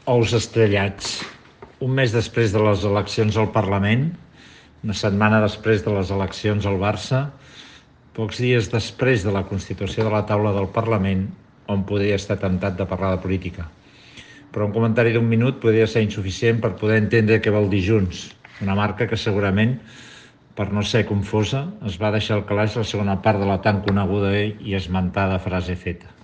Ous estrellats. Un mes després de les eleccions al Parlament, una setmana després de les eleccions al Barça, pocs dies després de la constitució de la taula del Parlament, on podria estar temptat de parlar de política. Però un comentari d'un minut podria ser insuficient per poder entendre què vol dir Junts, una marca que segurament, per no ser confosa, es va deixar al calaix la segona part de la tan coneguda i esmentada frase feta.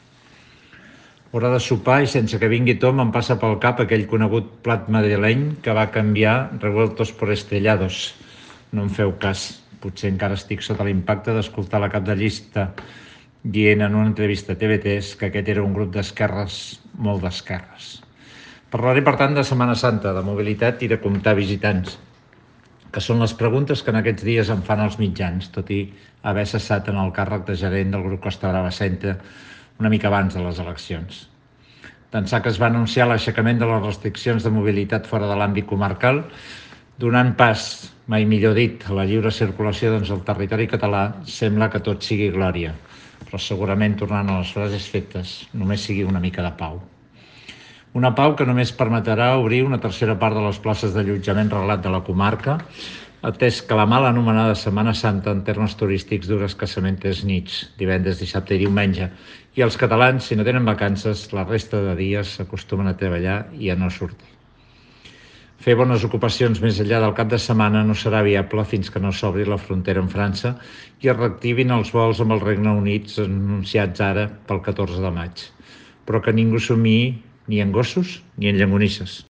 Hora de sopar i sense que vingui Tom em passa pel cap aquell conegut plat madrileny que va canviar revueltos por estrellados. No em feu cas, potser encara estic sota l'impacte d'escoltar la cap de llista dient en una entrevista a TV3 que aquest era un grup d'esquerres, molt d'esquerres. Parlaré, per tant, de Setmana Santa, de mobilitat i de comptar visitants, que són les preguntes que en aquests dies em fan els mitjans, tot i haver cessat en el càrrec de gerent del grup Costa Brava Centre una mica abans de les eleccions. D'ençà que es va anunciar l'aixecament de les restriccions de mobilitat fora de l'àmbit comarcal, donant pas, mai millor dit, a la lliure circulació del territori català, sembla que tot sigui glòria, però segurament, tornant a les frases fetes, només sigui una mica de pau. Una pau que només permetrà obrir una tercera part de les places d'allotjament reglat de la comarca, atès que la mal anomenada Setmana Santa en termes turístics dura escassament 3 nits, divendres, dissabte i diumenge, i els catalans, si no tenen vacances, la resta de dies s'acostumen a treballar i a no sortir. Fer bones ocupacions més enllà del cap de setmana no serà viable fins que no s'obri la frontera amb França i es reactivin els vols amb el Regne Unit anunciats ara pel 14 de maig. Però que ningú somiï ni en gossos ni en llonganisses.